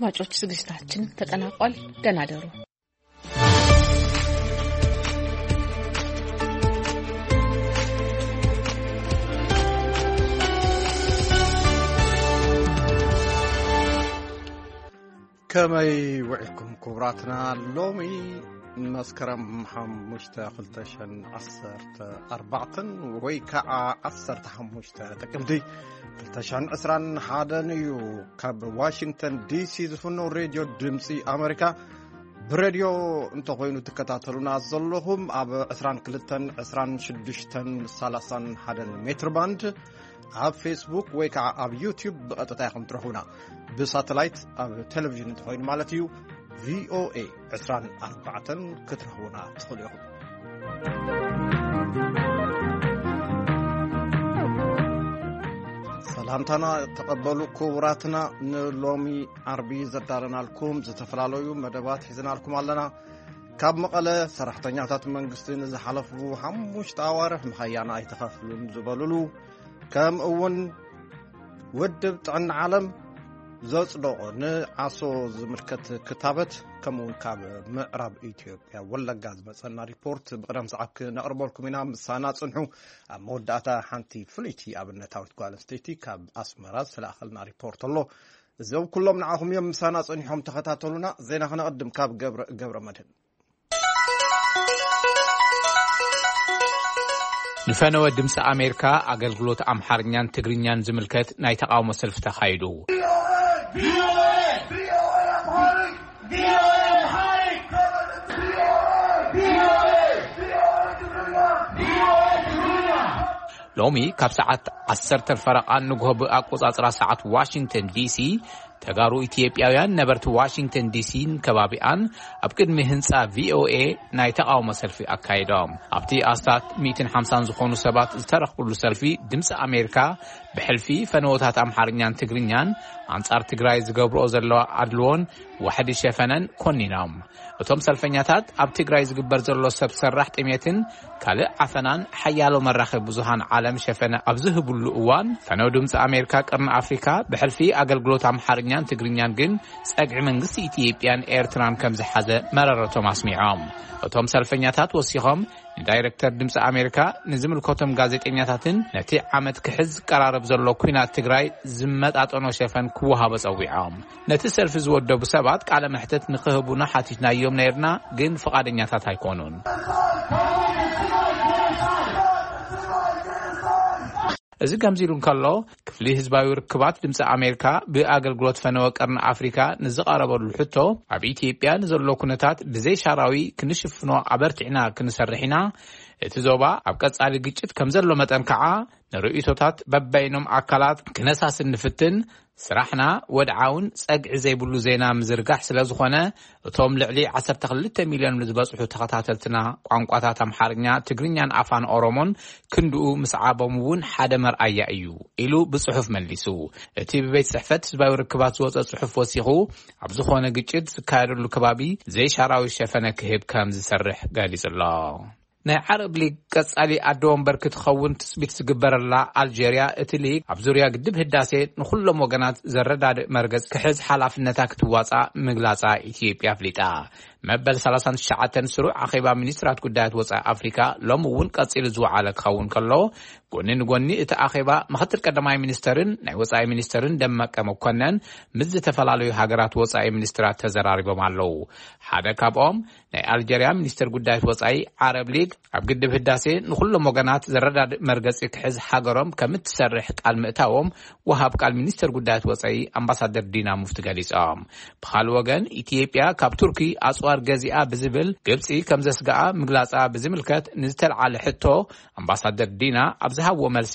አድማጮች፣ ዝግጅታችን ተጠናቋል። ደህና ደሩ። ከመይ ውዒልኩም ክቡራትና? ሎሚ መስከረም ሓሙሽተ፣ ክልተ ሽሕን ዓሰርተ ኣርባዕተን ወይ ከዓ ዓሰርተ ሓሙሽተ ጥቅምቲ ክልተ ሽሕን ዕስራን ሓደን እዩ። ካብ ዋሽንግተን ዲሲ ዝፍኖ ሬድዮ ድምፂ ኣሜሪካ፣ ብሬድዮ እንተኾይኑ ትከታተሉና ዘለኹም ኣብ ዕስራን ክልተን፣ ዕስራን ሽዱሽተን፣ ሰላሳን ሓደን ሜትር ባንድ፣ ኣብ ፌስቡክ ወይ ከዓ ኣብ ዩቲዩብ ብቐጥታ ኢኹም ትረኽቡና። ብሳተላይት ኣብ ቴሌቪዥን እንተኾይኑ ማለት እዩ፣ ቪኦኤ ዕስራን ኣርባዕተን ክትረኽቡና ትኽእሉ ኢኹም። ሰላምታና ተቐበሉ ክቡራትና። ንሎሚ ዓርቢ ዘዳለናልኩም ዝተፈላለዩ መደባት ሒዝናልኩም ኣለና። ካብ መቐለ፣ ሰራሕተኛታት መንግስቲ ንዝሓለፉ ሓሙሽተ ኣዋርሕ ምሃያና ኣይተኸፍሉን ዝበሉሉ፣ ከምኡ እውን ውድብ ጥዕና ዓለም ዘጽደቖ ንዓሶ ዝምልከት ክታበት፣ ከምኡ እውን ካብ ምዕራብ ኢትዮጵያ ወለጋ ዝመጸና ሪፖርት ብቕደም ሰዓብ ክነቕርበልኩም ኢና። ምሳና ጽንሑ። ኣብ መወዳእታ ሓንቲ ፍልይቲ ኣብነታዊት ጓል ኣንስተይቲ ካብ ኣስመራ ዝተላእኸልና ሪፖርት ኣሎ። እዞም ኩሎም ንዓኹም እዮም። ምሳና ጸኒሖም ተኸታተሉና። ዜና ክነቐድም ካብ ገብረ፣ ገብረ መድህን። ንፈነወ ድምፂ ኣሜሪካ ኣገልግሎት ኣምሓርኛን ትግርኛን ዝምልከት ናይ ተቃውሞ ሰልፊ ተኻይዱ። ሎሚ ካብ ሰዓት ዓሰርተ ፈረቓ ንግሆ ብኣቆጻጽራ ሰዓት ዋሽንግተን ዲሲ፣ ተጋሩ ኢትዮጵያውያን ነበርቲ ዋሽንግተን ዲሲን ከባቢኣን ኣብ ቅድሚ ህንጻ ቪኦኤ ናይ ተቃውሞ ሰልፊ ኣካይዶም። ኣብቲ ኣስታት ሚእትን ሓምሳን ዝኾኑ ሰባት ዝተረኽብሉ ሰልፊ፣ ድምፂ ኣሜሪካ ብሕልፊ ፈነወታት ኣምሓርኛን ትግርኛን ኣንጻር ትግራይ ዝገብርኦ ዘለዋ ኣድልዎን ዋሕዲ ሸፈነን ኮኒኖም። እቶም ሰልፈኛታት፣ ኣብ ትግራይ ዝግበር ዘሎ ሰብ ሰራሕ ጥሜትን ካልእ ዓፈናን ሓያሎ መራኸቢ ብዙሃን ዓለም ሸፈነ ኣብ ዝህብሉ እዋን፣ ፈነው ድምፂ ኣሜሪካ ቅርኒ ኣፍሪካ ብሕልፊ ኣገልግሎት ኣምሓርኛን ትግርኛን ግን ጸግዒ መንግስቲ ኢትዮጵያን ኤርትራን ከም ዝሓዘ መረረቶም ኣስሚዖም። እቶም ሰልፈኛታት ወሲኾም፣ ንዳይሬክተር ድምፂ ኣሜሪካ፣ ንዝምልከቶም ጋዜጠኛታትን ነቲ ዓመት ክሕዝ ዝቀራረብ ዘሎ ኲናት ትግራይ ዝመጣጠኖ ሸፈን ክወሃቦ ጸዊዖም። ነቲ ሰልፊ ዝወደቡ ሰባት ቃለ መሕትት ንክህቡና ሓቲትናዮም ነይርና፣ ግን ፍቓደኛታት ኣይኮኑን። እዚ ከምዚ ኢሉ እንከሎ፣ ክፍሊ ህዝባዊ ርክባት ድምፂ ኣሜሪካ ብኣገልግሎት ፈነወ ቀርኒ ኣፍሪካ ንዝቐረበሉ ሕቶ፣ ኣብ ኢትዮጵያ ንዘሎ ኩነታት ብዘይሻራዊ ክንሽፍኖ ኣበርቲዕና ክንሰርሕ ኢና። እቲ ዞባ ኣብ ቀጻሊ ግጭት ከም ዘሎ መጠን ከዓ፣ ንርእይቶታት በበይኖም ኣካላት ክነሳስን ንፍትን። ስራሕና ወድዓውን ጸግዒ ዘይብሉ ዜና ምዝርጋሕ ስለ ዝኾነ፣ እቶም ልዕሊ ዓሰርተ ክልተ ሚልዮን ንዝበጽሑ ተኸታተልትና፣ ቋንቋታት ኣምሓርኛ፣ ትግርኛን ኣፋን ኦሮሞን ክንድኡ ምስዓቦም እውን ሓደ መርኣያ እዩ፣ ኢሉ ብጽሑፍ መሊሱ። እቲ ብቤት ጽሕፈት ህዝባዊ ርክባት ዝወጸ ጽሑፍ ወሲኹ፣ ኣብ ዝኾነ ግጭት ዝካየደሉ ከባቢ ዘይሻራዊ ሸፈነ ክህብ ከም ዝሰርሕ ገሊጹ ኣሎ። ናይ ዓረብ ሊግ ቀጻሊ ኣደ ወንበር ክትኸውን ትጽቢት ዝግበረላ ኣልጀርያ፣ እቲ ሊግ ኣብ ዙርያ ግድብ ህዳሴ ንኹሎም ወገናት ዘረዳድእ መርገጽ ክሕዝ ሓላፍነታ ክትዋጻእ ምግላጻ ኢትዮጵያ ኣፍሊጣ። መበል ሰላሳን ትሽዓተን ስሩዕ ኣኼባ ሚኒስትራት ጉዳያት ወጻኢ ኣፍሪካ ሎሚ እውን ቀጺሉ ዝወዓለ ክኸውን ከሎ፣ ጎኒ ንጎኒ እቲ ኣኼባ፣ ምኽትል ቀዳማይ ሚኒስተርን ናይ ወጻኢ ሚኒስተርን ደመቀ መኮነን ምስ ዝተፈላለዩ ሃገራት ወጻኢ ሚኒስትራት ተዘራሪቦም ኣለዉ። ሓደ ካብኦም፣ ናይ ኣልጀርያ ሚኒስተር ጉዳያት ወጻኢ፣ ዓረብ ሊግ ኣብ ግድብ ህዳሴ ንኹሎም ወገናት ዘረዳድእ መርገጺ ክሕዝ ሃገሮም ከም እትሰርሕ ቃል ምእታዎም፣ ወሃብ ቃል ሚኒስተር ጉዳያት ወጻኢ ኣምባሳደር ዲና ሙፍቲ ገሊጾም። ብኻልእ ወገን፣ ኢትዮጵያ ካብ ቱርኪ ኣጽዋር ገዚኣ ብዝብል ግብጺ ከም ዘስግኣ ምግላጻ ብዝምልከት ንዝተልዓለ ሕቶ፣ ኣምባሳደር ዲና ኣብ ዝሃብዎ መልሲ፣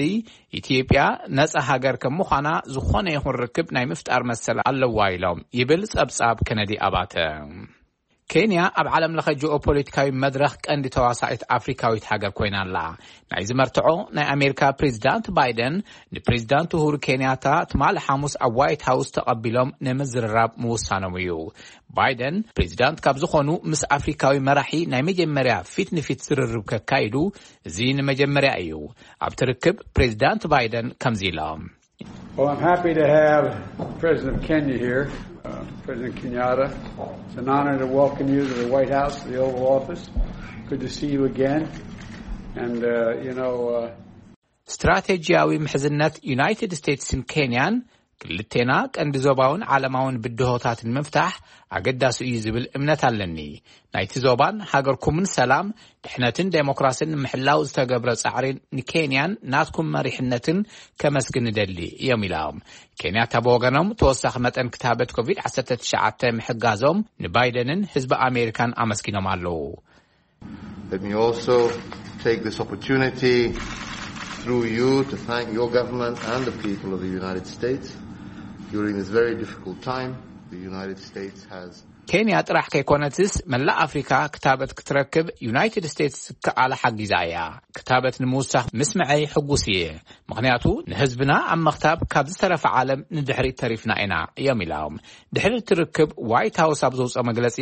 ኢትዮጵያ ነጻ ሃገር ከም ምዃና ዝኾነ ይኹን ርክብ ናይ ምፍጣር መሰል ኣለዋ ኢሎም፣ ይብል ጸብጻብ ከነዲ ኣባተ። ኬንያ ኣብ ዓለም ለኸ ጂኦፖለቲካዊ መድረኽ ቀንዲ ተዋሳኢት ኣፍሪካዊት ሃገር ኮይና ኣላ። ናይዚ መርትዖ፣ ናይ ኣሜሪካ ፕሬዚዳንት ባይደን ንፕሬዚዳንት ኡሁሩ ኬንያታ ትማሊ ሓሙስ ኣብ ዋይት ሃውስ ተቐቢሎም ንምዝርራብ ምውሳኖም እዩ። ባይደን ፕሬዚዳንት ካብ ዝኾኑ ምስ ኣፍሪካዊ መራሒ ናይ መጀመርያ ፊት ንፊት ዝርርብ ከካይዱ እዚ ንመጀመርያ እዩ። ኣብቲ ርክብ ፕሬዚዳንት ባይደን ከምዚ ኢሎም። Well, I'm happy to have the President of Kenya here, uh, President Kenyatta. It's an honor to welcome you to the White House, to the Oval Office. Good to see you again. And, uh, you know, uh, ስትራቴጂያዊ ምሕዝነት ዩናይትድ ስቴትስን ኬንያን፣ ክልቴና ቀንዲ ዞባውን ዓለማውን ብድሆታት ንምፍታሕ ኣገዳሲ እዩ ዝብል እምነት ኣለኒ። ናይቲ ዞባን ሃገርኩምን ሰላም፣ ድሕነትን ዴሞክራስን ንምሕላው ዝተገብረ ጻዕሪ ንኬንያን ናትኩም መሪሕነትን ከመስግን እደሊ እዮም ኢሎም። ኬንያታ ብወገኖም፣ ተወሳኺ መጠን ክታበት ኮቪድ ዓሰርተ ትሽዓተ ምሕጋዞም ንባይደንን ህዝቢ ኣሜሪካን ኣመስጊኖም ኣለዉ። Let me also take this opportunity through you to thank your government and the people of the United States. During this very difficult time, the United States has ኬንያ ጥራሕ ከይኮነትስ፣ መላእ ኣፍሪካ ክታበት ክትረክብ ዩናይትድ ስቴትስ ዝከኣላ ሓጊዛ እያ። ክታበት ንምውሳኽ ምስምዐይ ሕጉስ እየ፣ ምኽንያቱ ንህዝብና ኣብ ምኽታብ ካብ ዝተረፈ ዓለም ንድሕሪት ተሪፍና ኢና እዮም ኢሎም። ድሕሪ እቲ ርክብ፣ ዋይት ሃውስ ኣብ ዘውፅኦ መግለፂ፣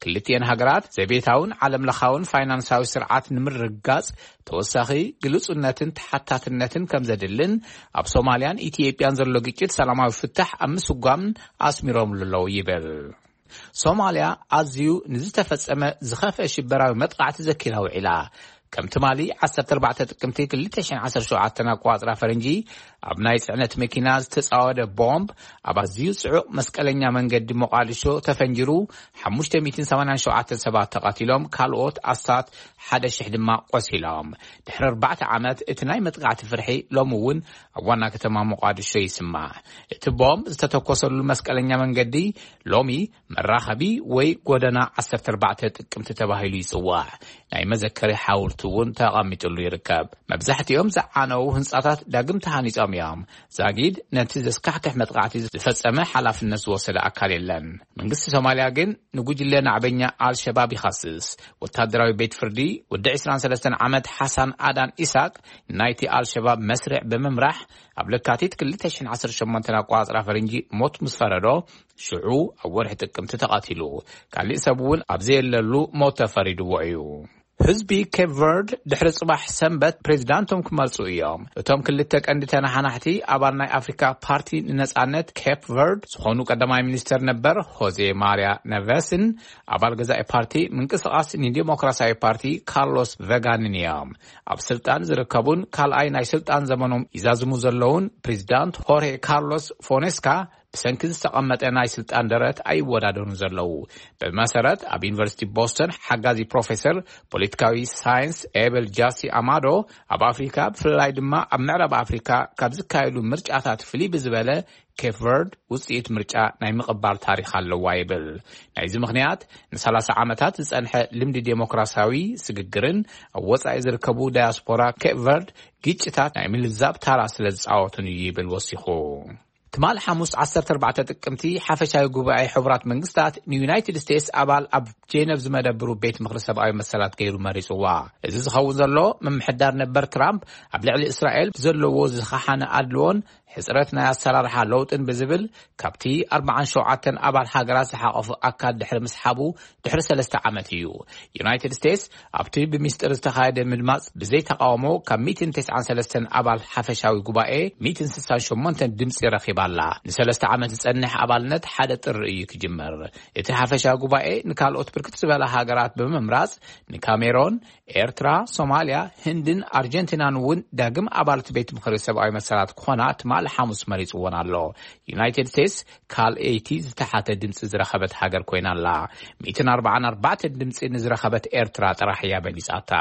ክልቲኤን ሃገራት ዘቤታውን ዓለም ለኻውን ፋይናንሳዊ ስርዓት ንምርግጋፅ ተወሳኺ ግልፁነትን ተሓታትነትን ከም ዘድልን፣ ኣብ ሶማልያን ኢትዮጵያን ዘሎ ግጭት ሰላማዊ ፍታሕ ኣብ ምስጓምን ኣስሚሮምሉ ኣለዉ ይብል። ሶማልያ ኣዝዩ ንዝተፈጸመ ዝኸፍአ ሽበራዊ መጥቃዕቲ ዘኪራ ውዒላ። ከም ትማሊ ዓሰርተ ኣርባዕተ ጥቅምቲ ክልተ ሽሕን ዓሰርተ ሸውዓተን ኣቆጻጽራ ፈረንጂ፣ ኣብ ናይ ጽዕነት መኪና ዝተጻወደ ቦምብ ኣብ ኣዝዩ ጽዑቕ መስቀለኛ መንገዲ ሞቓዲሾ ተፈንጂሩ፣ ሓሙሽተ ሚእትን ሰማንያን ሸውዓተን ሰባት ተቐቲሎም፣ ካልኦት ኣስታት ሓደ ሽሕ ድማ ቆሲሎም። ድሕሪ ኣርባዕተ ዓመት እቲ ናይ መጥቃዕቲ ፍርሒ ሎሚ እውን ኣብ ዋና ከተማ ሞቓዲሾ ይስማዕ። እቲ ቦምብ ዝተተኮሰሉ መስቀለኛ መንገዲ ሎሚ መራኸቢ ወይ ጎደና ዓሰርተ ኣርባዕተ ጥቅምቲ ተባሂሉ ይጽዋዕ። ናይ መዘከሪ ሓውልቲ እውን ተቐሚጥሉ ይርከብ። መብዛሕትኦም ዝዓነዉ ህንጻታት ዳግም ተሃኒጾም እዮም። ዛጊድ ነቲ ዘስካሕክሕ መጥቃዕቲ ዝፈጸመ ሓላፍነት ዝወሰደ ኣካል የለን። መንግስቲ ሶማልያ ግን ንጉጅለ ናዕበኛ ኣልሸባብ ይኸስስ። ወታደራዊ ቤት ፍርዲ፣ ወዲ ዕስራን ሰለስተን ዓመት ሓሳን ኣዳን ኢሳቅ፣ ናይቲ ኣልሸባብ መስርዕ ብምምራሕ፣ ኣብ ለካቲት ክልተ ሽሕን ዓሰርተ ሸሞንተን ኣቆጻጽራ ፈረንጂ ሞት ምስ ፈረዶ፣ ሽዑ ኣብ ወርሒ ጥቅምቲ ተቐቲሉ። ካሊእ ሰብ እውን ኣብ ዘየለሉ ሞት ተፈሪድዎ እዩ። ህዝቢ ኬፕ ቨርድ ድሕሪ ጽባሕ ሰንበት ፕሬዚዳንቶም ክመርጹ እዮም። እቶም ክልተ ቀንዲ ተነሓናሕቲ ኣባል ናይ ኣፍሪካ ፓርቲ ንነጻነት ኬፕ ቨርድ ዝኾኑ ቀዳማይ ሚኒስተር ነበር ሆዜ ማርያ ነቨስን ኣባል ገዛኢ ፓርቲ ምንቅስቃስ ንዲሞክራሲያዊ ፓርቲ ካርሎስ ቨጋንን እዮም። ኣብ ስልጣን ዝርከቡን ካልኣይ ናይ ስልጣን ዘመኖም ይዛዝሙ ዘለውን ፕሬዚዳንት ሆርሄ ካርሎስ ፎኔስካ ብሰንኪ ዝተቐመጠ ናይ ስልጣን ደረት ኣይወዳደሩን ዘለዉ። ብመሰረት ኣብ ዩኒቨርሲቲ ቦስተን ሓጋዚ ፕሮፌሰር ፖለቲካዊ ሳይንስ ኤበል ጃሲ ኣማዶ፣ ኣብ ኣፍሪካ ብፍላይ ድማ ኣብ ምዕራብ ኣፍሪካ ካብ ዝካየዱ ምርጫታት ፍልይ ብዝበለ ኬፕ ቨርድ ውፅኢት ምርጫ ናይ ምቕባል ታሪክ ኣለዋ ይብል። ናይዚ ምኽንያት ንሰላሳ ዓመታት ዝፀንሐ ልምዲ ዴሞክራሲያዊ ስግግርን ኣብ ወፃኢ ዝርከቡ ዳያስፖራ ኬፕ ቨርድ ግጭታት ናይ ምልዛብ ታራ ስለ ዝፃወቱን እዩ ይብል ወሲኹ። ትማል ሓሙስ ዓሰርተ ኣርባዕተ ጥቅምቲ ሓፈሻዊ ጉባኤ ሕቡራት መንግስታት ንዩናይትድ ስቴትስ ኣባል ኣብ ጄነቭ ዝመደብሩ ቤት ምኽሪ ሰብኣዊ መሰላት ገይሩ መሪጽዋ። እዚ ዝኸውን ዘሎ ምምሕዳር ነበር ትራምፕ ኣብ ልዕሊ እስራኤል ብዘለዎ ዝኸሓነ ኣድልዎን ሕጽረት ናይ ኣሰራርሓ ለውጥን ብዝብል ካብቲ ኣርባዓን ሸውዓተን ኣባል ሃገራት ዝሓቐፉ ኣካል ድሕሪ ምስሓቡ ድሕሪ ሰለስተ ዓመት እዩ። ዩናይትድ ስቴትስ ኣብቲ ብሚስጥር ዝተኻየደ ምድማጽ ብዘይ ተቃውሞ ካብ ሚእትን ተስዓን ሰለስተን ኣባል ሓፈሻዊ ጉባኤ ሚእትን ስሳን ሸሞንተን ድምጺ ረኺባ ኣላ። ንሰለስተ ዓመት ዝጸንሕ ኣባልነት ሓደ ጥሪ እዩ ክጅመር። እቲ ሓፈሻዊ ጉባኤ ንካልኦት ብርክት ዝበላ ሃገራት ብምምራጽ ንካሜሮን፣ ኤርትራ፣ ሶማልያ፣ ህንድን ኣርጀንቲናን እውን ዳግም ኣባልቲ ቤት ምኽሪ ሰብኣዊ መሰላት ክኾና ትማሊ ሓሙስ መሪጽዎን ኣሎ። ዩናይትድ ስቴትስ ካልኣይቲ ዝተሓተ ድምፂ ዝረኸበት ሃገር ኮይና ኣላ። ሚእትን ኣርባዓን ኣርባዕተን ድምፂ ንዝረኸበት ኤርትራ ጥራሕ እያ በሊፃታ።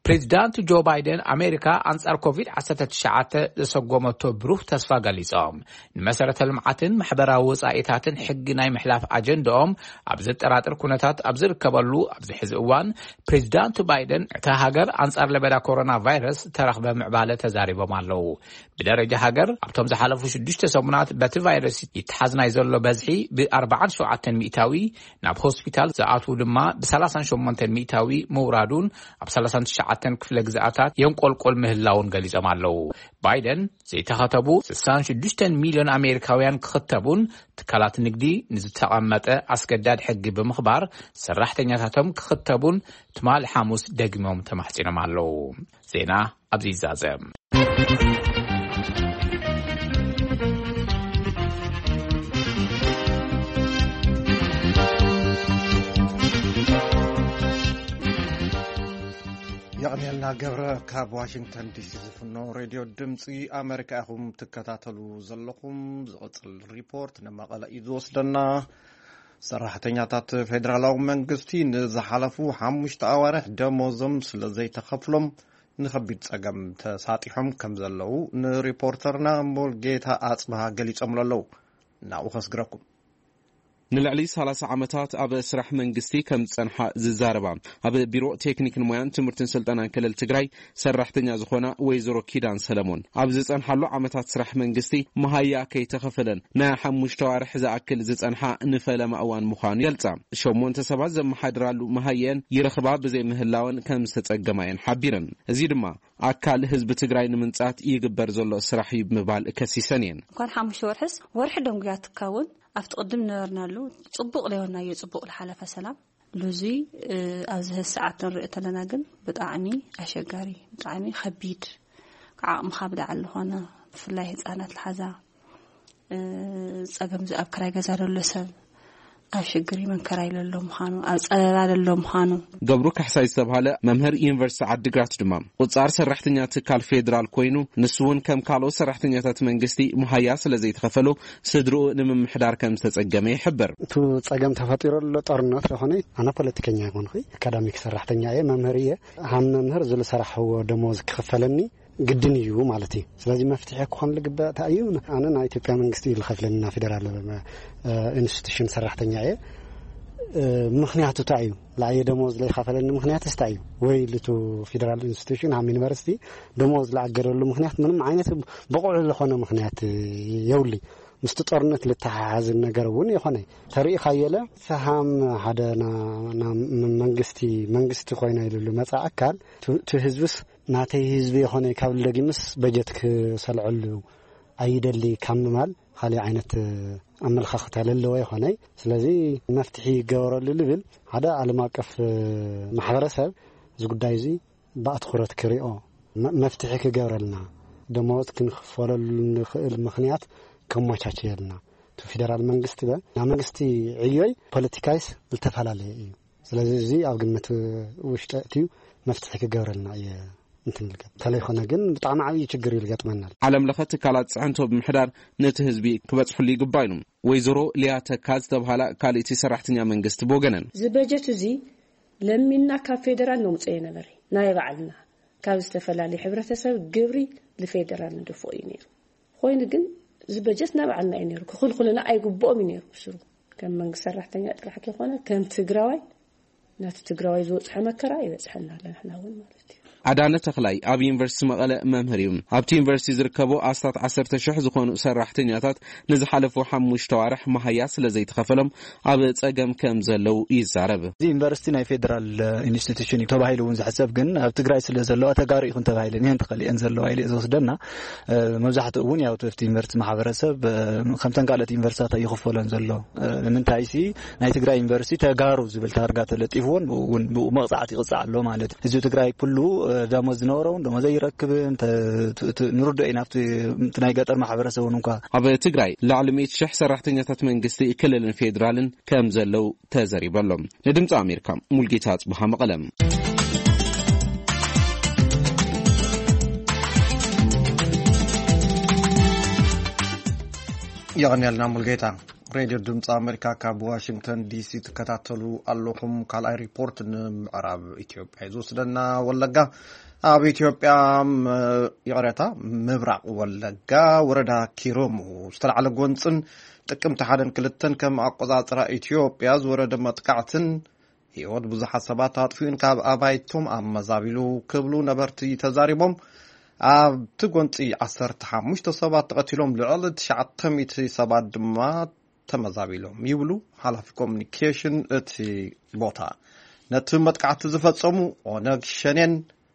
ፕሬዚዳንት ጆ ባይደን ኣሜሪካ ኣንጻር ኮቪድ ዓሰርተ ትሽዓተ ዘሰጎመቶ ብሩህ ተስፋ ገሊጾም። ንመሰረተ ልምዓትን ማሕበራዊ ወጻኢታትን ሕጊ ናይ ምሕላፍ ኣጀንዳኦም ኣብ ዘጠራጥር ኩነታት ኣብ ዝርከበሉ ኣብዚ ሕዚ እዋን፣ ፕሬዚዳንት ባይደን እታ ሃገር ኣንጻር ለበዳ ኮሮና ቫይረስ ተረኽበ ምዕባለ ተዛሪቦም ኣለዉ። ብደረጃ ሃገር ኣብቶም ዝሓለፉ ሽዱሽተ ሰሙናት በቲ ቫይረስ ይተሓዝ ናይ ዘሎ በዝሒ ብ ኣርባዓን ሸውዓተን ሚእታዊ፣ ናብ ሆስፒታል ዝኣትዉ ድማ ብ ሰላሳን ሸሞንተን ሚእታዊ ምውራዱን ኣብ ሰላሳን ትሽዓተን ክፍለ ግዝኣታት የንቆልቆል ምህላውን ገሊጾም ኣለዉ። ባይደን ዘይተኸተቡ ስሳን ሽዱሽተን ሚልዮን ኣሜሪካውያን ክኽተቡን ትካላት ንግዲ ንዝተቐመጠ ኣስገዳድ ሕጊ ብምኽባር ሰራሕተኛታቶም ክኽተቡን ትማሊ ሓሙስ ደግሞም ተማሕጺኖም ኣለዉ። ዜና ኣብዚ ይዛዘም። ዳንኤልና ገብረ ካብ ዋሽንግተን ዲሲ ዝፍኖ ሬድዮ ድምፂ ኣሜሪካ ኢኹም ትከታተሉ ዘለኹም። ዝቕፅል ሪፖርት ንመቐለ እዩ ዝወስደና። ሰራሕተኛታት ፌደራላዊ መንግስቲ ንዝሓለፉ ሓሙሽተ ኣዋርሕ ደሞዞም ስለ ዘይተኸፍሎም ንኸቢድ ጸገም ተሳጢሖም ከም ዘለዉ ንሪፖርተርና ሙልጌታ ኣጽብሃ ገሊጾምሉ ኣለዉ። ናብኡ ከስግረኩም። ንልዕሊ ሰላሳ ዓመታት ኣብ ስራሕ መንግስቲ ከም ዝጸንሓ ዝዛረባ፣ ኣብ ቢሮ ቴክኒክን ሞያን ትምህርትን ስልጠናን ክልል ትግራይ ሰራሕተኛ ዝኾና ወይዘሮ ኪዳን ሰለሞን፣ ኣብ ዝጸንሓሉ ዓመታት ስራሕ መንግስቲ መሃያ ከይተኸፈለን ናይ ሓሙሽተ ዋርሕ ዝኣክል ዝጸንሓ ንፈለማ እዋን ምዃኑ ይገልጻ። ሸሞንተ ሰባት ዘመሓድራሉ መሃየን ይረኽባ ብዘይምህላወን ከም ዝተጸገማ እየን ሓቢረን። እዚ ድማ ኣካል ህዝቢ ትግራይ ንምንጻት ይግበር ዘሎ ስራሕ እዩ ብምባል ከሲሰን እየን። እንኳን ሓሙሽተ ወርሕስ፣ ወርሒ ደንጉያ ትካውን ኣብቲ ቅድም ነበርናሉ ጽቡቕ ለዮናዮ፣ ጽቡቕ ዝሓለፈ ሰላም ሉዙይ፣ እ፣ ኣብዚ ሰዓት ንርኢ ተለና ግን ብጣዕሚ ኣሸጋሪ፣ ብጣዕሚ ከቢድ፣ ካብ ዓቕምኻ ብላዕሊ ዝኾነ፣ ብፍላይ ህፃናት ልሓዛ፣ እ፣ ጸገም፣ እዚ ኣብ ክራይ ገዛ ዘሎ ሰብ ኣብ ሽግሪ መንከራ ኢለ ኣሎ ምዃኑ፣ ኣብ ጸበባ ዘሎ ምዃኑ። ገብሩ ካሕሳይ ዝተባህለ መምህር ዩኒቨርሲቲ ዓዲግራት ድማ ቁጻር ሰራሕተኛ ትካል ፌዴራል ኮይኑ፣ ንሱ እውን ከም ካልኦት ሰራሕተኛታት መንግስቲ መሃያ ስለ ዘይተኸፈሎ ስድርኡ ንምምሕዳር ከም ዝተጸገመ ይሕብር። እቲ ጸገም ተፈጢሩ ኣሎ ጦርነት ዝኾነ፣ ኣነ ፖለቲከኛ ኣይኮንኹ፣ ኣካዳሚክ ሰራሕተኛ እየ፣ መምህር እየ። ሃም መምህር ዝለሰርሕዎ ደሞዝ ክኽፈለኒ ግድን እዩ ማለት እዩ። ስለዚ መፍትሒ ክኾን ዝግባእ እንታይ እዩ? ኣነ ናይ ኢትዮጵያ መንግስቲ እዩ ዝኸፍለኒ፣ ናይ ፌደራል፣ እ፣ ኢንስቲትዩሽን ሰራሕተኛ እየ። እ፣ ምኽንያቱ እንታይ እዩ? ለኣየ ደሞዝ ዘይኸፈለኒ ምኽንያት እንታይ እዩ? ወይ ልቱ ፌደራል ኢንስቲትዩሽን ሃም ዩኒቨርሲቲ ደሞዝ ዝኣገደሉ ምኽንያት ምንም ዓይነት ብቑዕ ዝኾነ ምኽንያት የብሉይ። ምስቲ ጦርነት ልተሓሓዝ ነገር እውን ይኾነ ተርኢ ካየለ፣ ፈሃም ሓደ ና-፣ ና-፣ መንግስቲ፣ መንግስቲ ኮይነ ኢሉ መጻ ኣካል፣ ቱ-፣ ቱ ህዝብስ ናተይ ህዝቢ ይኾነ ካብ ደጊምስ በጀት ክሰልዐሉ ኣይደሊ ካብ ምባል፣ ካልእ ዓይነት ኣመለኻኽታ ለለዎ ይኾነ። ስለዚ መፍትሒ ይገበረሉ ልብል፣ ሓደ ዓለም ኣቀፍ ማሕበረሰብ እዚ ጉዳይ እዚ ብኣትኹረት ክሪኦ፣ መ-፣ መፍትሒ ክገብረልና፣ ደመወዝ ክንኽፈለሉ ንኽእል ምኽንያት ከመቻቸየልና። እቲ ፌደራል መንግስቲ በ-፣ ናይ መንግስቲ ዕዮይ ፖለቲካይስ ዝተፈላለየ እዩ። ስለዚ እዚ ኣብ ግምት ውሽጢ ኣእትዩ መፍትሒ ክገብረልና እየ እንትን ልገ-፣ እንተለይኮነ ግን ብጣዕሚ ዓብዪ ችግር እዩ ዝገጥመና። ዓለም ለኸ ትካላት ፅዕንቶ ብምሕዳር ነቲ ህዝቢ ክበፅሕሉ ይግባእ ኢሉ ወይዘሮ ሊያ ተካ ዝተብሃላ ካልእቲ ሰራሕተኛ መንግስቲ ብወገነን። እዚ በጀት እዚ ለሚንና ካብ ፌደራል ነምፅኦ የነበረ ናይ ባዕልና ካብ ዝተፈላለዩ ሕብረተሰብ ግብሪ ንፌደራል ንድፍኦ እዩ ነይሩ። ኮይኑ ግን እዚ በጀት ናባዕልና እዩ ነይሩ፣ ክኽልኩልና ኣይግብኦም እዩ ነይሩ ብስሩ። ከም መንግስቲ ሰራሕተኛ ጥራሕ ከይኮነ ከም ትግራዋይ ናቲ ትግራዋይ ዝበፅሐ መከራ ይበፅሐና ኣሎ ንሕና እውን ማለት እዩ። ኣዳነ ተኽላይ ኣብ ዩኒቨርሲቲ መቐለ መምህር እዩ። ኣብቲ ዩኒቨርሲቲ ዝርከቡ ኣስታት ዓሰርተ ሽሕ ዝኾኑ ሰራሕተኛታት ንዝሓለፉ ሓሙሽተ ዋርሕ መሃያ ስለ ዘይተኸፈሎም ኣብ ጸገም ከም ዘለዉ ይዛረብ። እዚ ዩኒቨርሲቲ ናይ ፌደራል ኢንስቲትዩሽን እዩ ተባሂሉ እውን ዝሕሰብ፣ ግን ኣብ ትግራይ ስለ ዘለዋ ተጋሩ ይኹን ተባሂለን እየን ተኸሊአን ዘለዋ ኢለ ዝወስደና። መብዛሕትኡ እውን ያው እቲ ዩኒቨርሲቲ ማሕበረሰብ ከምተን ካልኦት ዩኒቨርሲታት ኣይኽፈሎን ዘሎ። ንምንታይ ሲ ናይ ትግራይ ዩኒቨርሲቲ ተጋሩ ዝብል ታርጋ ተለጢፍዎን ብኡ እውን ብኡ መቕፃዕቲ ይቕፃዕ ኣሎ ማለት እዩ። ህዝቢ ትግራይ ኩሉ ደሞዝ ዝነበሮ እውን ደሞዝ ኣይረክብን። ንርድኦ ኢና። ኣብቲ ናይ ገጠር ማሕበረሰብ እውን እንኳ ኣብ ትግራይ ልዕሊ ሚእቲ ሽሕ ሰራሕተኛታት መንግስቲ ክልልን ፌዴራልን ከም ዘለዉ ተዘሪቡ ኣሎ። ንድምፂ ኣሜሪካ ሙልጌታ ኣፅብሃ መቐለም። የቐንየልና ሙልጌታ። ሬድዮ ድምፂ ኣሜሪካ ካብ ዋሽንግተን ዲሲ ትከታተሉ ኣለኹም። ካልኣይ ሪፖርት ንምዕራብ ኢትዮጵያ እዩ ዝወስደና። ወለጋ፣ ኣብ ኢትዮጵያ፣ ም-፣ ይቕሬታ፣ ምብራቕ ወለጋ ወረዳ ኪረሙ ዝተላዕለ ጎንፅን ጥቅምቲ ሓደን ክልተን ከም ኣቆፃፅራ ኢትዮጵያ ዝወረደ መጥቃዕትን ህይወት ብዙሓት ሰባት ኣጥፊኡን ካብ ኣባይቶም ኣመዛቢሉ ክብሉ ነበርቲ ተዛሪቦም። ኣብቲ ጎንፂ ዓሰርተ ሓሙሽተ ሰባት ተቐቲሎም፣ ልዕሊ ትሽዓተ ሚእቲ ሰባት ድማ ተመዛቢሎም ይብሉ ሓላፊ ኮሚኒኬሽን እቲ ቦታ። ነቲ መጥቃዕቲ ዝፈጸሙ ኦነግ ሸኔን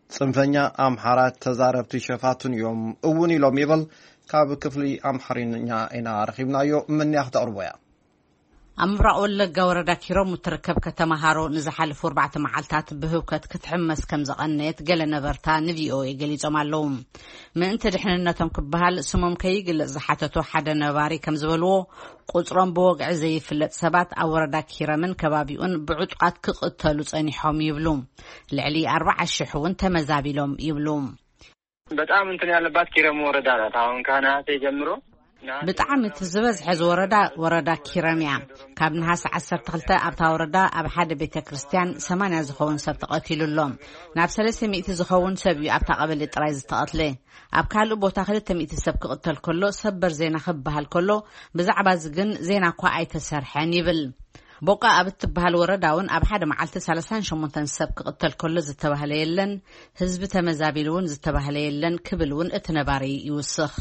ጽንፈኛ ኣምሓራ ተዛረብቲ ሸፋቱን እዮም እውን ኢሎም ይብል። ካብ ክፍሊ ኣምሓርኛ ኢና ረኺብናዮ፣ ምንያ ክተቕርቦ እያ። ኣብ ምብራቕ ወለጋ ወረዳ ኪረሙ እትርከብ ከተማ ሃሮ ንዝሓለፉ ኣርባዕተ መዓልታት ብህውከት ክትሕመስ ከም ዘቐነየት ገለ ነበርታ ንቪኦኤ ገሊጾም ኣለዉ። ምእንቲ ድሕንነቶም ክበሃል ስሞም ከይግለጽ ዝሓተቱ ሓደ ነባሪ ከም ዝበልዎ፣ ቁጽሮም ብወግዒ ዘይፍለጥ ሰባት ኣብ ወረዳ ኪረምን ከባቢኡን ብዕጡቓት ክቕተሉ ጸኒሖም ይብሉ። ልዕሊ ኣርባዓ ሽሕ እውን ተመዛቢሎም ይብሉ። በጣም እንትን ያለባት ኪረም ወረዳ ናት። አሁን ከነሐሴ ጀምሮ ብጣዕሚ እቲ ዝበዝሐ ዝወረዳ ወረዳ ኪረም እያ። ካብ ነሃሰ ዓሰርተ ክልተ ኣብታ ወረዳ ኣብ ሓደ ቤተ ክርስቲያን ሰማንያ ዝኸውን ሰብ ተቐቲሉ ኣሎ። ናብ ሰለስተ ሚእቲ ዝኸውን ሰብ እዩ ኣብታ ቀበሌ ጥራይ ዝተቐትለ። ኣብ ካልእ ቦታ ክልተ ሚእቲ ሰብ ክቕተል ከሎ፣ ሰበር ዜና ክበሃል ከሎ፣ ብዛዕባ እዚ ግን ዜና እኳ ኣይተሰርሐን ይብል። ቦቃ ኣብ እትበሃል ወረዳ እውን ኣብ ሓደ መዓልቲ ሰላሳን ሸሞንተን ሰብ ክቕተል ከሎ ዝተባህለ የለን፣ ህዝቢ ተመዛቢሉ እውን ዝተባህለ የለን ክብል እውን እቲ ነባሪ ይውስኽ።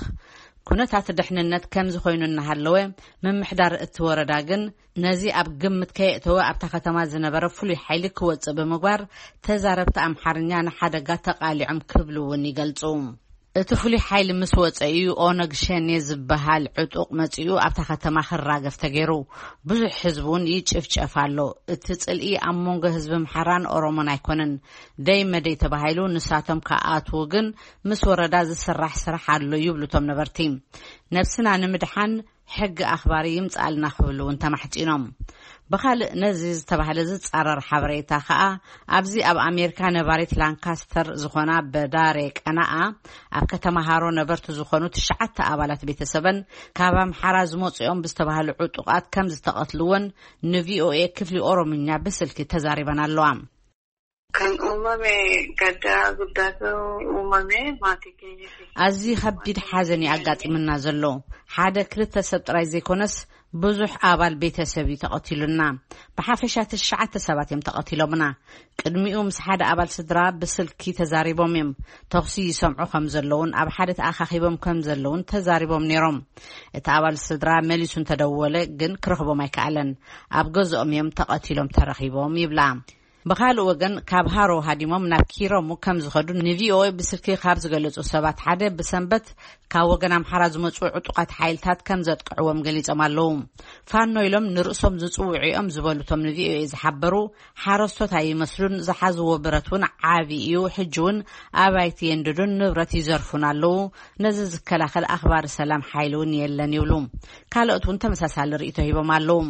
ኩነታት ድሕንነት ከምዚ ኮይኑ እናሃለወ፣ ምምሕዳር እቲ ወረዳ ግን ነዚ ኣብ ግምት ከየእተወ ኣብታ ከተማ ዝነበረ ፍሉይ ሓይሊ ክወጽእ ብምግባር፣ ተዛረብቲ ኣምሓርኛ ንሓደጋ ተቓሊዖም ክብሉ እውን ይገልጹ። እቲ ፍሉይ ሓይሊ ምስ ወጸ እዩ ኦነግ ሸኔ ዝበሃል ዕጡቕ መጺኡ ኣብታ ከተማ ክራገፍ ተገይሩ። ብዙሕ ህዝቢ እውን ይጭፍጨፍ ኣሎ። እቲ ጽልኢ ኣብ መንጎ ህዝቢ ኣምሓራን ኦሮሞን ኣይኮነን። ደይ መደይ ተባሂሉ ንሳቶም ክኣትዉ ግን ምስ ወረዳ ዝስራሕ ስራሕ ኣሎ ይብሉ እቶም ነበርቲ። ነብስና ንምድሓን ሕጊ ኣኽባሪ ይምጽኣልና ክብሉ እውን ተማሕጺኖም። ብኻልእ ነዚ ዝተባህለ ዝጻረር ሓበሬታ ከኣ፣ ኣብዚ ኣብ ኣሜሪካ ነባሪት ላንካስተር ዝኾና በዳሬ ቀናኣ፣ ኣብ ከተማ ሃሮ ነበርቲ ዝኾኑ ትሽዓተ ኣባላት ቤተሰበን ካብ ኣምሓራ ዝመጹ እዮም ብዝተባህሉ ዕጡቓት ከም ዝተቐትልዎን ንቪኦኤ ክፍሊ ኦሮምኛ ብስልኪ ተዛሪበን ኣለዋ። Kan uumame gaddaa guddaatu uumame maatii keenya keessatti. ኣዝዩ ከቢድ ሓዘን እዩ ኣጋጢምና ዘሎ። ሓደ ክልተ ሰብ ጥራይ ዘይኮነስ ብዙሕ ኣባል ቤተሰብ እዩ ተቐቲሉና። ብሓፈሻ ትሽዓተ ሰባት እዮም ተቐቲሎምና። ቅድሚኡ ምስ ሓደ ኣባል ስድራ ብስልኪ ተዛሪቦም እዮም። ተኹሲ ይሰምዑ ከም ዘለውን ኣብ ሓደ ተኣኻኺቦም ከም ዘለውን ተዛሪቦም ነይሮም። እቲ ኣባል ስድራ መሊሱ እንተደወለ ግን ክረኽቦም ኣይከኣለን። ኣብ ገዝኦም እዮም ተቐቲሎም ተረኺቦም ይብላ። ብኻልእ ወገን፣ ካብ ሃሮ ሃዲሞም ናብ ኪረሙ ከም ዝኸዱ ንቪኦኤ ብስልኪ ካብ ዝገለጹ ሰባት ሓደ፣ ብሰንበት ካብ ወገን ኣምሓራ ዝመጹ ዕጡቓት ሓይልታት ከም ዘጥቅዕዎም ገሊጾም ኣለዉ። ፋኖ ኢሎም ንርእሶም ዝጽውዑ እዮም ዝበሉ እቶም ንቪኦኤ ዝሓበሩ ሓረስቶት ኣይመስሉን። ዝሓዝዎ ብረት እውን ዓቢ እዩ። ሕጂ እውን ኣባይቲ የንድዱን ንብረት ይዘርፉን ኣለዉ። ነዚ ዝከላኸል ኣኽባሪ ሰላም ሓይሊ እውን የለን ይብሉ። ካልኦት እውን ተመሳሳሊ ርእይቶ ሂቦም ኣለዉ።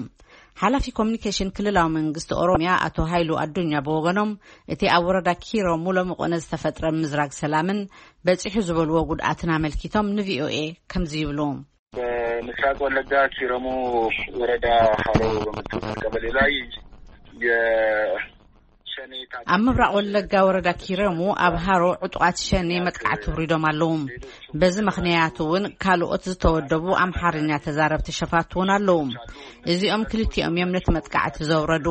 ሓላፊ ኮሚኒኬሽን ክልላዊ መንግስቲ ኦሮሚያ ኣቶ ሃይሉ ኣዱኛ ብወገኖም፣ እቲ ኣብ ወረዳ ኪረሙ ሎሚ ቆነ ዝተፈጥረ ምዝራግ ሰላምን በጺሑ ዝበልዎ ጉድኣትን ኣመልኪቶም ንቪኦኤ ከምዚ ይብሉ። በምስራቅ ወለጋ ኪረሙ ወረዳ ሀሮ በምትባል ቀበሌ ላይ የሸኔ ታጣቂ ኣብ ምብራቕ ወለጋ ወረዳ ኪረሙ ኣብ ሃሮ ዕጡቓት ሸኔ መጥቃዕቲ ውሪዶም ኣለዉ። በዚ ምኽንያት እውን ካልኦት ዝተወደቡ ኣምሓርኛ ተዛረብቲ ሸፋቱ እውን ኣለዉ። እዚኦም ክልቲኦም እዮም ነቲ መጥቃዕቲ ዘውረዱ።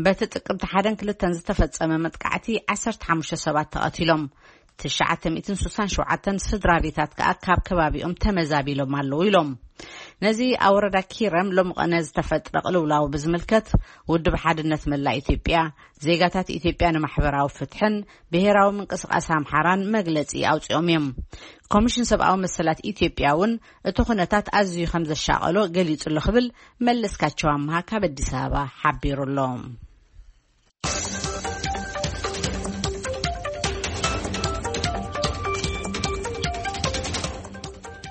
በቲ ጥቅምቲ ሓደን ክልተን ዝተፈጸመ መጥቃዕቲ ዓሰርተ ሓሙሽተ ሰባት ተቐቲሎም፣ ትሽዓተ ሚእትን ስሳን ሸውዓተን ስድራ ቤታት ከኣ ካብ ከባቢኦም ተመዛቢሎም ኣለዉ ኢሎም። ነዚ ኣብ ወረዳ ኪረም ሎሚ ቀነ ዝተፈጥረ ቅልውላው ብዝምልከት፣ ውድብ ሓድነት መላእ ኢትዮጵያ፣ ዜጋታት ኢትዮጵያ ንማሕበራዊ ፍትሕን ብሄራዊ ምንቅስቃስ ኣምሓራን መግለጺ ኣውጺኦም እዮም። ኮሚሽን ሰብኣዊ መሰላት ኢትዮጵያ እውን እቲ ኩነታት ኣዝዩ ከም ዘሻቐሎ ገሊጹ ኣሎ ክብል መለስካቸው ኣምሃ ካብ ኣዲስ ኣበባ ሓቢሩ ኣሎ።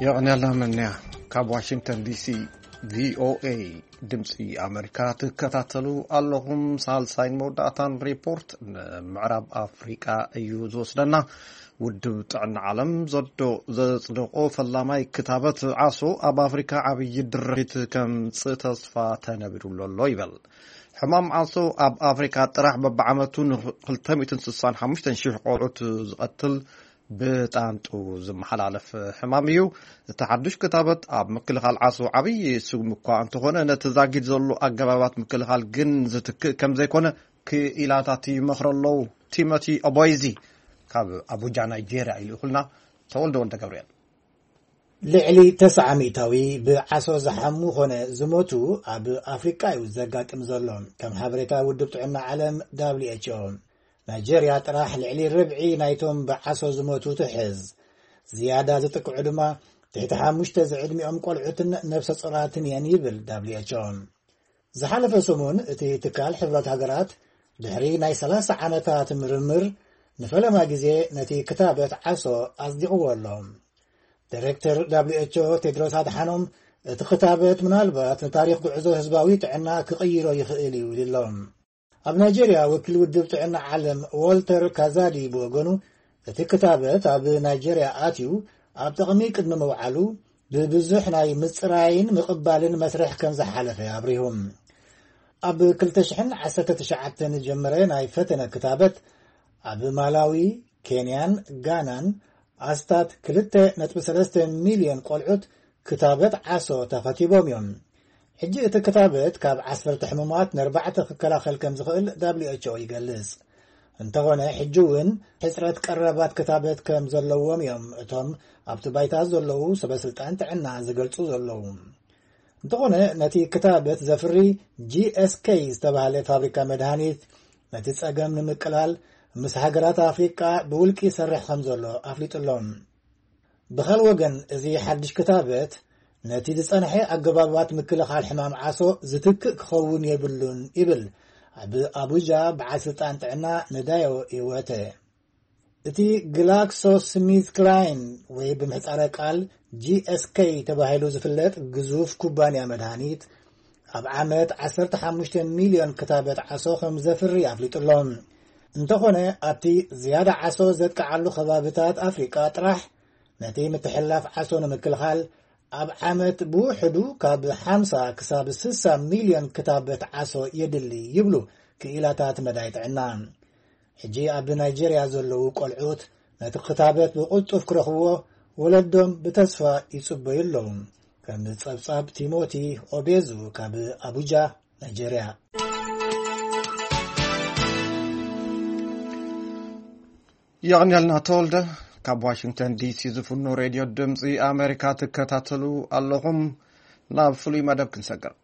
የቐንያልና መንያ። ካብ ዋሽንግተን ዲሲ ቪኦኤ ድምፂ ኣሜሪካ ትከታተሉ ኣለኹም። ሳልሳይን መወዳእታን ሪፖርት ንምዕራብ ኣፍሪቃ እዩ ዝወስደና። ውድብ ጥዕና ዓለም ዘዶ-፣ ዘጽደቆ ፈላማይ ክታበት ዓሶ ኣብ ኣፍሪካ ዓብዪ ድርኺት ከምጽእ ተስፋ ተነቢሩሉ ኣሎ ይበል። ሕማም ዓሶ ኣብ ኣፍሪካ ጥራሕ በብዓመቱ ን ክልተ ሚእትን ስሳን ሓሙሽተን ሽሕ ቆልዑት ዝቐትል ብጣንጡ ዝመሓላለፍ ሕማም እዩ። እቲ ሓዱሽ ክታበት ኣብ ምክልኻል ዓሶ ዓብዪ ስጉም እኳ እንተኾነ፣ ነቲ ዛጊድ ዘሎ ኣገባባት ምክልኻል ግን ዝትክእ ከም ዘይኮነ ክኢላታት ይመኽሩ ኣለዉ። ቲሞቲ ኦቦይዚ ካብ ኣቡጃ ናይጄርያ ይልእኹልና። ተወልደ ወልደ ገብርኤል። ልዕሊ ተስዓ ሚእታዊ ብዓሶ ዝሓሙ ኾነ ዝሞቱ ኣብ ኣፍሪቃ እዩ ዘጋጥም ዘሎ። ከም ሓበሬታ ውድብ ጥዕና ዓለም፣ ደብሊው ኤች ኦ፣ ናይጄርያ ጥራሕ ልዕሊ ርብዒ ናይቶም ብዓሶ ዝሞቱ ትሕዝ። ዝያዳ ዝጥቅዑ ድማ ትሕቲ ሓሙሽተ ዝዕድሚኦም ቆልዑትን ነብሰ ጾራትን እየን ይብል ደብሊው ኤች ኦ። ዝሓለፈ ሰሙን እቲ ትካል ሕቡራት ሃገራት ድሕሪ ናይ ሰላሳ ዓመታት ምርምር ንፈለማ ግዜ ነቲ ክታበት ዓሶ ኣጽዲቕዎ ኣሎ። ዳይሬክተር ደብሊው ኤች ኦ ቴድሮስ ኣድሓኖም፣ እቲ ክታበት ምናልባት ንታሪኽ ጉዕዞ ህዝባዊ ጥዕና ክቕይሮ ይኽእል እዩ ኢሉ ኣሎ። ኣብ ናይጄርያ ወኪል ውድብ ጥዕና ዓለም ዎልተር ካዛዲ ብወገኑ፣ እቲ ክታበት ኣብ ናይጄርያ ኣትዩ ኣብ ጥቕሚ ቅድሚ ምውዓሉ ብብዙሕ ናይ ምጽራይን ምቕባልን መስርሕ ከም ዝሓለፈ ኣብሪሁ። ኣብ ክልተ ሽሕን ዓሰርተ ትሽዓተን ዝጀመረ ናይ ፈተነ ክታበት ኣብ ማላዊ፣ ኬንያን ጋናን ኣስታት ክልተ ነጥቢ ሰለስተ ሚልዮን ቆልዑት ክታበት ዓሶ ተኸቲቦም እዮም። ሕጂ እቲ ክታበት ካብ ዓሰርተ ሕሙማት ንኣርባዕተ ክከላኸል ከም ዝኽእል ደብሊው ኤች ኦ ይገልጽ። እንተኾነ፣ ሕጂ እውን ሕጽረት ቀረባት ክታበት ከም ዘለዎም እዮም እቶም ኣብቲ ባይታ ዘለዉ ሰበ ስልጣን ጥዕና ዝገልጹ ዘለዉ። እንተኾነ፣ ነቲ ክታበት ዘፍሪ ጂ ኤስ ኬ ዝተባህለ ፋብሪካ መድሃኒት፣ ነቲ ጸገም ንምቅላል ምስ ሃገራት ኣፍሪቃ ብውልቂ ይሰርሕ ከም ዘሎ ኣፍሊጡ ኣሎ። ብኻል ወገን፣ እዚ ሓድሽ ክታበት ነቲ ዝጸንሐ ኣገባባት ምክልኻል ሕማም ዓሶ ዝትክእ ክኸውን የብሉን ይብል ኣብ ኣቡጃ በዓል ስልጣን ጥዕና ንዳዮ ይወተ። እቲ ግላክሶ ስሚዝ ክላይን ወይ ብምሕጻረ ቃል ጂ ኤስ ኬ ተባሂሉ ዝፍለጥ ግዙፍ ኩባንያ መድሃኒት፣ ኣብ ዓመት ዓሰርተ ሓሙሽተ ሚልዮን ክታበት ዓሶ ከም ዘፍሪ ኣፍሊጡ ኣሎ። እንተኾነ፣ ኣብቲ ዝያዳ ዓሶ ዘጥቅዓሉ ከባብታት ኣፍሪቃ ጥራሕ ነቲ ምትሕልላፍ ዓሶ ንምክልኻል ኣብ ዓመት ብውሕዱ ካብ ሓምሳ ክሳብ ስሳ ሚልዮን ክታበት ዓሶ የድሊ ይብሉ ክኢላታት መዳይ ጥዕና። ሕጂ ኣብ ናይጄርያ ዘለዉ ቆልዑት ነቲ ክታበት ብቕልጡፍ ክረኽብዎ ወለዶም ብተስፋ ይጽበዩ ኣለዉ። ከም ጸብጻብ ቲሞቲ ኦቤዙ ካብ ኣቡጃ፣ ናይጄርያ። የቐንየልና ተወልደ። ካብ ዋሽንግተን ዲ ሲ ዝፍኖ ሬድዮ ድምፂ ኣሜሪካ ትከታተሉ ኣለኹም። ናብ ፍሉይ መደብ ክንሰግር።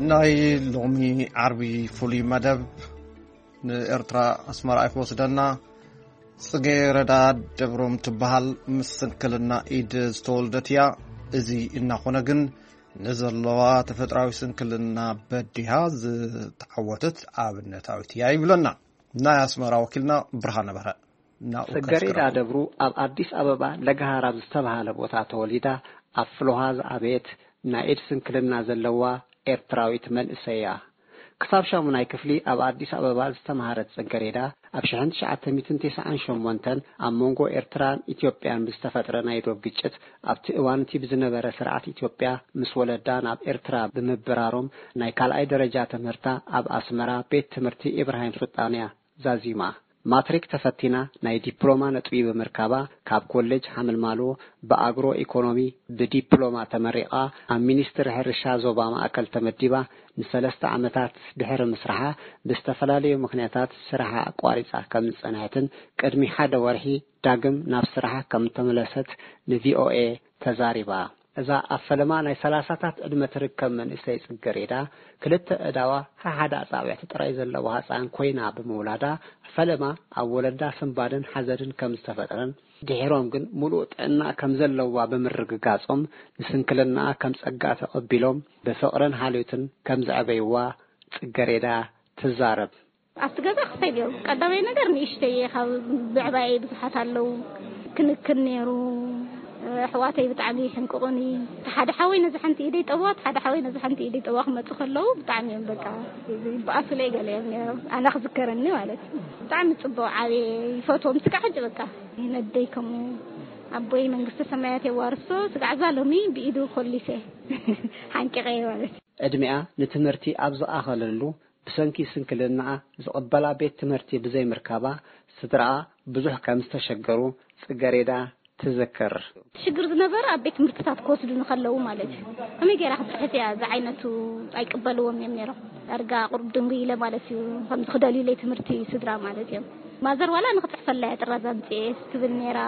ናይ ሎሚ ዓርቢ ፍሉይ መደብ ንኤርትራ ኣስመራ እዩ ክወስደና። ጽጌረዳ ደብሮም ትበሃል፣ ምስ ስንክልና ኢድ ዝተወልደት እያ። እዚ እናኾነ ግን፣ ንዘለዋ ተፈጥራዊ ስንክልና በዲሃ ዝተዓወተት ኣብነታዊት እያ ይብለና ናይ ኣስመራ ወኪልና ብርሃነ በርሀ። ናብኡ ጽጌረዳ ከስግረኩም። ደብሩ ኣብ ኣዲስ ኣበባ ለገሃር ኣብ ዝተባህለ ቦታ ተወሊዳ፣ ኣብ ፍልውሃ ዝዓበየት፣ ናይ ኢድ ስንክልና ዘለዋ ኤርትራዊት መንእሰይ እያ። ክሳብ ሻሙናይ ክፍሊ ኣብ ኣዲስ ኣበባ ዝተምሃረት ጽጌረዳ፣ ኣብ ሽሕን ትሽዓተ ሚእትን ተስዓን ሸሞንተን ኣብ መንጎ ኤርትራን ኢትዮጵያን ብዝተፈጥረ ናይ ዶብ ግጭት፣ ኣብቲ እዋን እቲ ብዝነበረ ስርዓት ኢትዮጵያ ምስ ወለዳ ናብ ኤርትራ ብምብራሮም፣ ናይ ካልኣይ ደረጃ ትምህርታ ኣብ ኣስመራ ቤት ትምህርቲ ኢብራሂም ሱልጣን እያ ዛዚማ። ማትሪክ ተፈቲና ናይ ዲፕሎማ ነጥቢ ብምርካባ፣ ካብ ኮሌጅ ሓመልማሎ ብኣግሮ ኢኮኖሚ ብዲፕሎማ ተመሪቓ፣ ኣብ ሚኒስትሪ ሕርሻ ዞባ ማእከል ተመዲባ፣ ንሰለስተ ዓመታት ድሕሪ ምስራሓ፣ ብዝተፈላለዩ ምኽንያታት ስራሓ ኣቋሪጻ ከም ዝጸንሐትን፣ ቅድሚ ሓደ ወርሒ ዳግም ናብ ስራሓ ከም እተመለሰት ንቪኦኤ ተዛሪባ። እዛ ኣብ ፈለማ ናይ ሰላሳታት ዕድመ ትርከብ መንእሰይ ጽገሬዳ፣ ክልተ ኣእዳዋ፣ ሓሓደ ኣጻብዕቲ ጥራይ ዘለዋ ህጻን ኮይና ብምውላዳ፣ ፈለማ ኣብ ወለዳ ስንባደን ሓዘንን ከም ዝተፈጥረን፣ ድሒሮም ግን ምሉእ ጥዕና ከም ዘለዋ ብምርግጋጾም፣ ንስንክልናኣ ከም ጸጋ ተቐቢሎም፣ ብፍቕርን ሓልዮትን ከም ዘዕበይዋ ጽገሬዳ ትዛረብ። ኣብቲ ገዛ ክልተ ነይሩ። ቀዳማይ ነገር ንእሽተይ እየ፣ ካብ ብዕባየይ ብዙሓት ኣለዉ። ክንክን ነይሩ። ኣሕዋተይ ብጣዕሚ ይሕንቅቑኒ። እቲ ሓደ ሓወይ ነዚ ሓንቲ ኢደይ ጠብዋ፣ እቲ ሓደ ሓወይ ነዚ ሓንቲ ኢደይ ጠብዋ ክመጹ ከለዉ ብጣዕሚ እዮም በቃ ይበኣሱለይ ገለ እዮም ነይሮም። ኣነ ክዝከረኒ ማለት እዩ። ብጣዕሚ ጽቡቕ ዓብየ ይፈትዎም። ስጋዕ ሕጂ በቃ ነደይ ከምኡ ኣቦይ መንግስተ ሰማያት የዋርሶ። ስጋዕ እዛ ሎሚ ብኢዱ ኮሊሰ ሓንቂቐየ ማለት እዩ። ዕድሚኣ ንትምህርቲ ኣብ ዝኣኸለሉ ብሰንኪ ስንክልናኣ ዝቕበላ ቤት ትምህርቲ ብዘይምርካባ፣ ስድራኣ ብዙሕ ከም ዝተሸገሩ ጽገሬዳ ትዝክር። ሽግር ዝነበረ ኣብ ቤት ትምህርትታት ክወስዱኒ ከለዉ ማለት እዩ። ከመይ ገይራ ክትጽሕፍ እያ? እዚ ዓይነቱ ኣይቅበልዎም እዮም ነይሮም። ዳርጋ ቁሩብ ድንጉይ ኢለ ማለት እዩ። ከምዚ ክደልዩለይ ትምህርቲ ስድራ ማለት እዮም። ማዘር ዋላ ንክጽሕፈላ እያ ጥራዝ ኣምጽኤ ትብል ነይራ።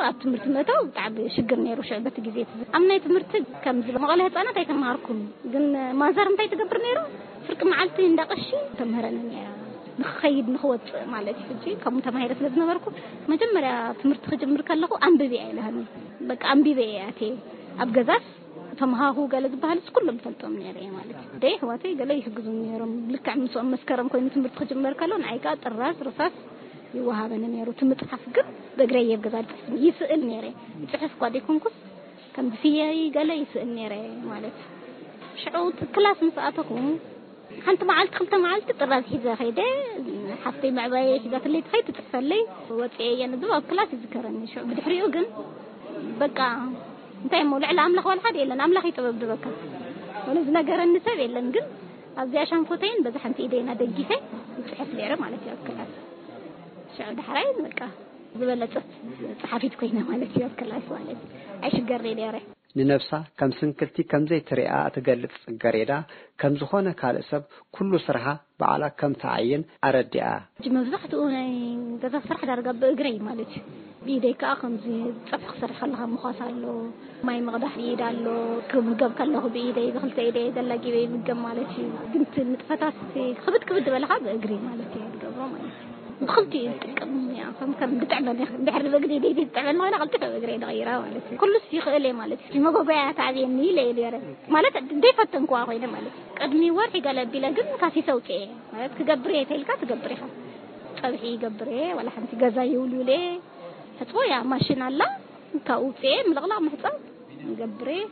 ኣብ ትምህርቲ ምእታው ብጣዕሚ ሽግር ነይሩ ሽዑ በቲ ግዜ እቲ። ኣብ ናይ ትምህርቲ ከምዚ መቐለ ህጻናት ኣይተማሃርኩን። ግን ማዘር እንታይ ትገብር ነይራ? ፍርቂ መዓልቲ እንዳ ቀሺ ተምህረኒ ነይራ። ንክኸይድ ንክወፅእ ማለት እዩ። ሕጂ ከምኡ ተማሂረ ስለ ዝነበርኩ መጀመርያ ትምህርቲ ክጅምር ከለኹ ኣንብቢ ኣይልሃኒ። በቃ ኣንቢበ እየ ኣትየ። ኣብ ገዛስ ተምሃሁ ገለ ዝበሃልስ ኩሎም ፈልጦም ነይረ እየ ማለት እዩ። ደይ ኣሕዋተይ ገለ ይሕግዙ ነይሮም። ልክዕ ምስኦም መስከረም ኮይኑ ትምህርቲ ክጅመር ከሎ ንዓይ ከዓ ጥራዝ ርሳስ ይወሃበኒ ነይሩ። እቲ ምፅሓፍ ግን ብእግረይ እየ ኣብ ገዛ ዝፅሕፍ። ይስእል ነይረ። ይፅሕፍ እኳ ዘይኮንኩስ ከም ብፍየይ ገለ ይስእል ነይረ ማለት እዩ። ሽዑ ክላስ ምስ ኣተኹ ሓንቲ መዓልቲ ክልተ መዓልቲ ጥራዝ ሒዘ ከይደ። ሓፍተይ መዕባየ ሒዛትለይ ትኸይድ ትፅሕፈለይ። ወፅኤ እየ ንብብ ኣብ ክላስ ይዝከረኒ። ሽዑ ብድሕሪኡ ግን በቃ እንታይ እሞ ልዕሊ ኣምላኽ ዋላ ሓደ የለን። ኣምላኽ እዩ ጥበብ ድበካ። ወላ ዝነገረኒ ሰብ የለን። ግን ኣብዚኣ ሻንፎተይን በዛ ሓንቲ ኢደይና ደጊፈ ይፅሕፍ ነይረ ማለት እዩ ኣብ ክላስ። ሽዑ ዳሕራይ በቃ ዝበለፀት ፀሓፊት ኮይነ ማለት እዩ ኣብ ክላስ ማለት እዩ። ኣይሽገር ነይረ። ንነብሳ ከም ስንክልቲ ከም ዘይትሪኣ እትገልጽ ጽገሬዳ፣ ከም ዝኾነ ካልእ ሰብ ኩሉ ስርሓ ባዕላ ከም ትዓይን ኣረዲኣ። ሕጂ መብዛሕትኡ ናይ ገዛ ስራሕ ዳርጋ ብእግረይ ማለት እዩ። ብኢደይ ከኣ ከምዚ ጸብሒ ክሰርሕ ከለኻ ምዃስ ኣሎ፣ ማይ ምቕዳሕ ብኢድ ኣሎ፣ ክምገብ ከለኹ ብኢደይ ብክልተ ኢደይ ዘላጊበ ይምገብ ማለት እዩ። ግን እቲ ንጥፈታት እቲ ክብድ ክብድ ዝበለ ከኣ ብእግሪ ማለት እየ ዝገብሮ ማለት እዩ። ብክልቲኡ ይጥቀም እያ። ከም ከም ብጥዕመኒ እንድሕር ብእግሪ ኢደይ ብጥዕመኒ ኮይና ቀልጢፈ ብእግረይ ንቐይራ ማለት እዩ። ኩሉስ ይኽእል እየ ማለት እዩ። መጎጎያ ተኣብየኒ ኢለ እየ ነይረ። ማለት ዘይፈተንክዋ ኮይነ ማለት እዩ። ቅድሚ ወርሒ ገለ ኣቢለ ግን ካሲሰ ኣውፅኤ ማለት ክገብር እየ ተይልካ ትገብር ኢኻ። ፀብሒ ይገብር እየ፣ ዋላ ሓንቲ ገዛ ይውልውል እየ። ሕፅቦ እያ ማሽን ኣላ፣ ካብኡ ውፅኤ ምልቕላቕ ምሕፃብ ይገብር እየ።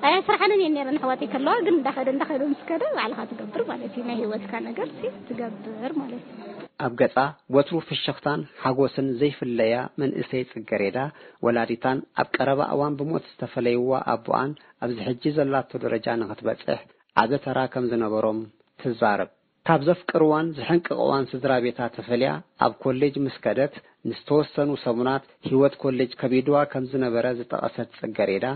ኣየ ስራሓንን እየን ነይረን ኣሕዋተይ ከለዋ ግን እንዳኸደ እንዳኸደ ምስ ከደ ባዕልኻ ትገብር ማለት እዩ። ናይ ህይወትካ ነገር ሲ ትገብር ማለት እዩ። ኣብ ገጻ ወትሩ ፍሽኽታን ሓጎስን ዘይፍለያ መንእሰይ ጽገሬዳ፣ ወላዲታን ኣብ ቀረባ እዋን ብሞት ዝተፈለይዋ ኣቦኣን ኣብዚ ሕጂ ዘላቶ ደረጃ ንኽትበጽሕ ዓቢ ተራ ከም ዝነበሮም ትዛረብ። ካብ ዘፍቅርዋን ዝሕንቅቕዋን ስድራ ቤታ ተፈልያ ኣብ ኮሌጅ ምስ ከደት፣ ንዝተወሰኑ ሰሙናት ህይወት ኮሌጅ ከቢድዋ ከም ዝነበረ ዝጠቐሰት ጽገሬዳ፣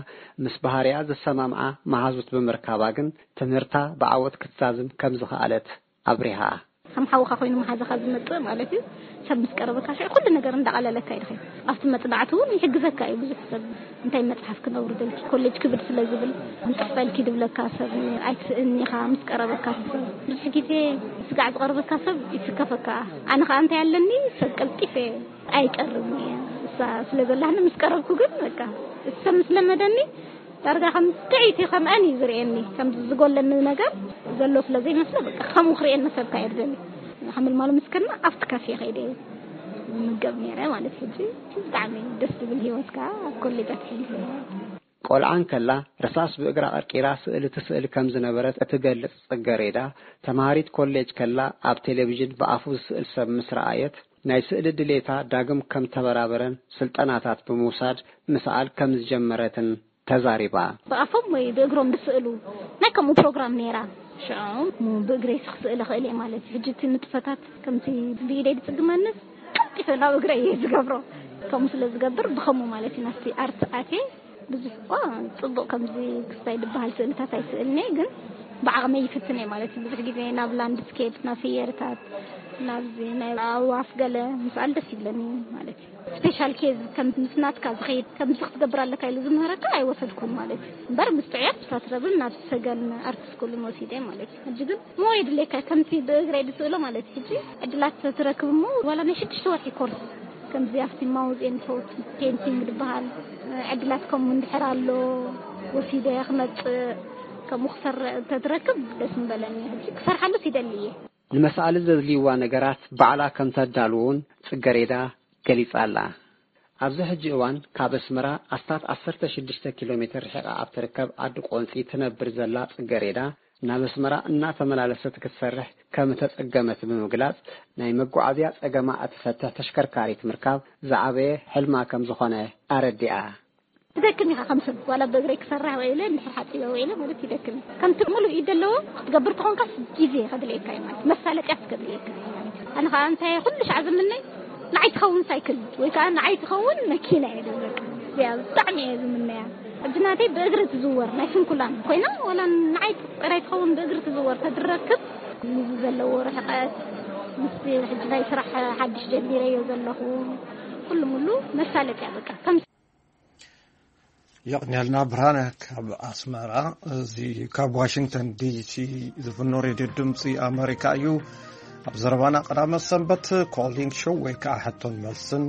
ምስ ባህርያ ዝሰማምዓ መሃዙት ብምርካባ ግን ትምህርታ ብዓወት ክትዛዝም ከም ዝኸኣለት ኣብሪሃ። ከም ሓውኻ ኮይኑ መሓዛኻ ዝመጽእ ማለት እዩ። ሰብ ምስ ቀረበካ ሽዑ ኩሉ ነገር እንዳቐለለካ እዩ ድኸይድ። ኣብቲ መጽናዕቲ እውን ይሕግዘካ እዩ ብዙሕ ሰብ። እንታይ መጽሓፍ ክነውርደልኪ፣ ኮሌጅ ክብድ ስለ ዝብል፣ እንጥሕፈልኪ ድብለካ ሰብ ኣይትስእኒ ኢኻ። ምስ ቀረበካ ሰብ፣ ብዙሕ ግዜ ስጋዕ ዝቐርበካ ሰብ ይስከፈካ። ኣነ ኸኣ እንታይ ኣለኒ፣ ሰብ ቀልጢፈ ኣይቀርብን እየ። እሳ ስለ ዘላህኒ ምስ ቀረብኩ ግን በቃ፣ እሱ ሰብ ምስ ለመደኒ ዳርጋ ከም ጥዕይቲ ከምኣን እዩ ዝርእየኒ። ከም ዝጎለኒ ነገር ዘሎ ስለ ዘይመስሎ በቃ፣ ከምኡ ክርእየኒ ሰብካ እየ ዝደሊ። ሓምል ማሉ ምስ ከድና ኣብቲ ካፌ ከይደ እየ ምገብ ነይረ ማለት። ሕጂ ብጣዕሚ ደስ ዝብል ህይወት ከኣ ኣብ ኮሌጃት ሕሊፈ። ቆልዓ እንከላ ርሳስ ብእግራ ቀርቂራ ስእሊ ትስእል ከም ዝነበረት እትገልጽ ጽገሬዳ፣ ተማሃሪት ኮሌጅ ከላ ኣብ ቴሌቪዥን ብኣፉ ዝስእል ሰብ ምስ ረኣየት፣ ናይ ስእሊ ድሌታ ዳግም ከም ተበራበረን ስልጠናታት ብምውሳድ ምስኣል ከም ዝጀመረትን ተዛሪባ። ብኣፎም ወይ ብእግሮም ዝስእሉ ናይ ከምኡ ፕሮግራም ነይራ። ሽዑ ብእግረይ ክስእል እኽእል እየ ማለት እዩ። ሕጂ እቲ ንጥፈታት ከምቲ ብኢደይ ዝጽግመንስ ቀልጢፈ ናብ እግረይ እየ ዝገብሮ። ከምኡ ስለ ዝገብር ብኸምኡ ማለት እዩ ናብቲ ኣርት ኣትየ። ብዙሕ እኳ ጽቡቕ ከምዚ ክስታይ ዝበሃል ስእልታት ኣይስእልን እየ፣ ግን ብዓቕመይ ይፍትን እየ ማለት እዩ። ብዙሕ ግዜ ናብ ላንድስኬፕ፣ ናብ ፍየርታት፣ ናብዚ ናይ ኣዕዋፍ ገለ ምስኣል ደስ ይብለኒ ማለት እዩ። ስፔሻል ኬዝ ከም ምስ ናትካ ዝኸይድ ከምዚ ክትገብር ኣለካ ኢሉ ዝምህረካ ኣይወሰድኩን ማለት እዩ። እምበር ምስ ጥዑያት ብሳትረብን ናብ ሰገን ኣርት ስኩልን ወሲደ ማለት እዩ። ሕጂ ግን ሞ የድልየካ ከምቲ ብእግረይ ዝስእሎ ማለት እዩ። ሕጂ ዕድላት ትረክብ እሞ ዋላ ናይ ሽዱሽተ ወርሒ ኮርስ ከምዚ ኣብቲ ማውዝ ኤንድ ቶት ፔንቲንግ ዝበሃል ዕድላት ከምኡ እንድሕር ኣሎ ወሲደ ክመጽእ ከምኡ ክሰርዕ እንተትረክብ ደስ ምበለኒ። ሕጂ ክሰርሓሉስ ይደሊ እየ። ንመሳእሊ ዘድልይዋ ነገራት ባዕላ ከም ተዳልውን ጽገሬዳ ገሊጻ ኣላ። ኣብዚ ሕጂ እዋን ካብ ኣስመራ ኣስታት ዓሰርተ ሽዱሽተ ኪሎ ሜትር ርሒቓ ኣብ ትርከብ ዓዲ ቆንጺ ትነብር ዘላ ጽገሬዳ፣ ናብ ኣስመራ እናተመላለሰት ክትሰርሕ ከም እተጸገመት ብምግላጽ፣ ናይ መጓዓዝያ ጸገማ እትፈትሕ ተሽከርካሪት ምርካብ ዝዓበየ ሕልማ ከም ዝኾነ ኣረዲኣ። ትደክም ኢኻ ከም ሰብ፣ ዋላ ብእግረይ ክሰርሕ ውዒለ፣ እንድሕር ሓጺበ ውዒለ ማለት ይደክም እዩ። ከምቲ ምሉእ ኢድ ዘለዎ ክትገብር ተኾንካስ ግዜ ከድልየካ እዩ ማለት፣ መሳለጥያ ከድልየካ እዩ ማለት። ኣነ ኸኣ እንታይ ኩሉ ሻዕ ዝምነይ ንዓይ ትኸውን ሳይክል ወይ ከኣ ንዓይ ትኸውን መኪና እየ ዝብል። በቃ እዚኣ ብጣዕሚ እየ ዝምነያ። ሕጂ ናተይ ብእግሪ ትዝወር ናይ ስንኩላን ኮይና ዋላ ንዓይ ጥራይ ትኸውን ብእግሪ ትዝወር ተድረክብ ምስ ዘለዎ ርሕቀት ምስ ሕጂ ናይ ስራሕ ሓድሽ ጀሚረዮ ዘለኹ ኩሉ ሙሉ መሳለጥያ በቃ ከም የቕንየልና ብርሃነ ካብ ኣስመራ። እዚ ካብ ዋሽንግተን ዲሲ ዝፍኖ ሬድዮ ድምፂ ኣመሪካ እዩ። ኣብ ዘረባና ቀዳመ ሰንበት ኮሊንግ ሾው ወይ ከዓ ሕቶን መልስን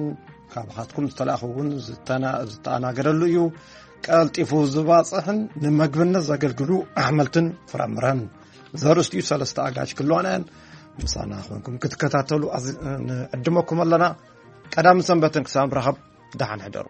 ካብኻትኩም ዝተላእኹ እውን ዝተና- ዝተኣናገደሉ እዩ። ቀልጢፉ ዝባፅሕን ንምግብነት ዘገልግሉ ኣሕመልትን ፍራምረን ዘርእስቲኡ ሰለስተ ኣጋጅ ክልዋና እየን። ምሳና ኮንኩም ክትከታተሉ ኣዝ- ንዕድመኩም ኣለና። ቀዳሚ ሰንበትን ክሳብ ንራኸብ ደሓን ሕደሩ።